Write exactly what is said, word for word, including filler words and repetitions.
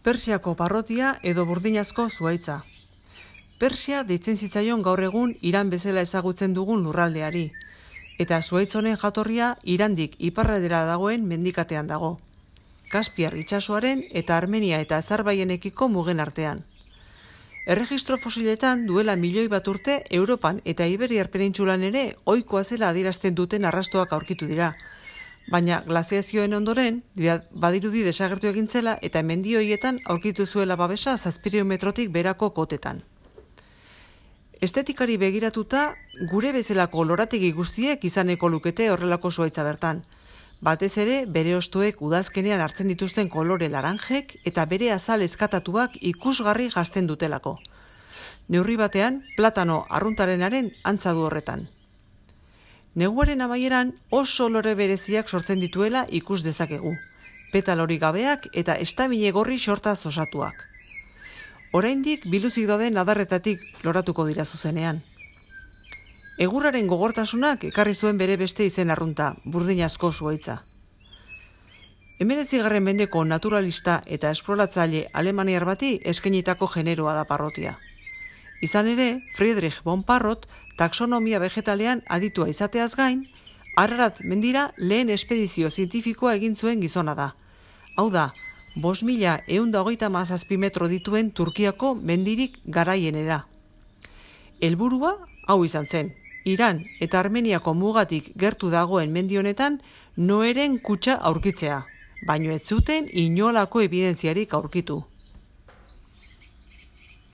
Persiako parrotia edo burdinazko zuhaitza. Persia deitzen zitzaion gaur egun Iran bezala ezagutzen dugun lurraldeari, eta zuhaitz honen jatorria Irandik iparraldera dagoen mendikatean dago. Kaspiar itsasoaren eta Armenia eta Azerbaijanekiko mugen artean. Erregistro fosiletan duela milioi bat urte Europan eta Iberiar penintsulan ere ohikoa zela adierazten duten arrastoak aurkitu dira. Baina glaziazioen ondoren, badirudi desagertu egin zela eta mendi horietan aurkitu zuela babesa zazpiehun metrotik berako kotetan. Estetikari begiratuta, gure bezalako lorategi guztiek izaneko lukete horrelako zuhaitza bertan. Batez ere, bere hostoek udazkenean hartzen dituzten kolore laranjek eta bere azal eskatatuak ikusgarri jazten dutelako. Neurri batean, platano arruntarenaren antza du horretan. Neguaren amaieran oso lore bereziak sortzen dituela ikus dezakegu, petalori gabeak eta estamile gorri sortaz osatuak. Oraindik biluzik dauden adarretatik loratuko dira zuzenean. Egurraren gogortasunak ekarri zuen bere beste izen arrunta, burdinazko zuhaitza. Hemeretzigarren mendeko naturalista eta esploratzaile alemaniar bati eskainitako generoa da parrotia. Izan ere, Friedrich von Parrot taxonomia vegetalean aditua izateaz gain, Ararat mendira lehen espedizio zientifikoa egin zuen gizona da. Hau da, bost mila ehun eta hogeita hamazazpi metro dituen Turkiako mendirik garaienera. Helburua hau izan zen, Iran eta Armeniako mugatik gertu dagoen mendi honetan Noeren kutxa aurkitzea, baino ez zuten inolako ebidentziarik aurkitu.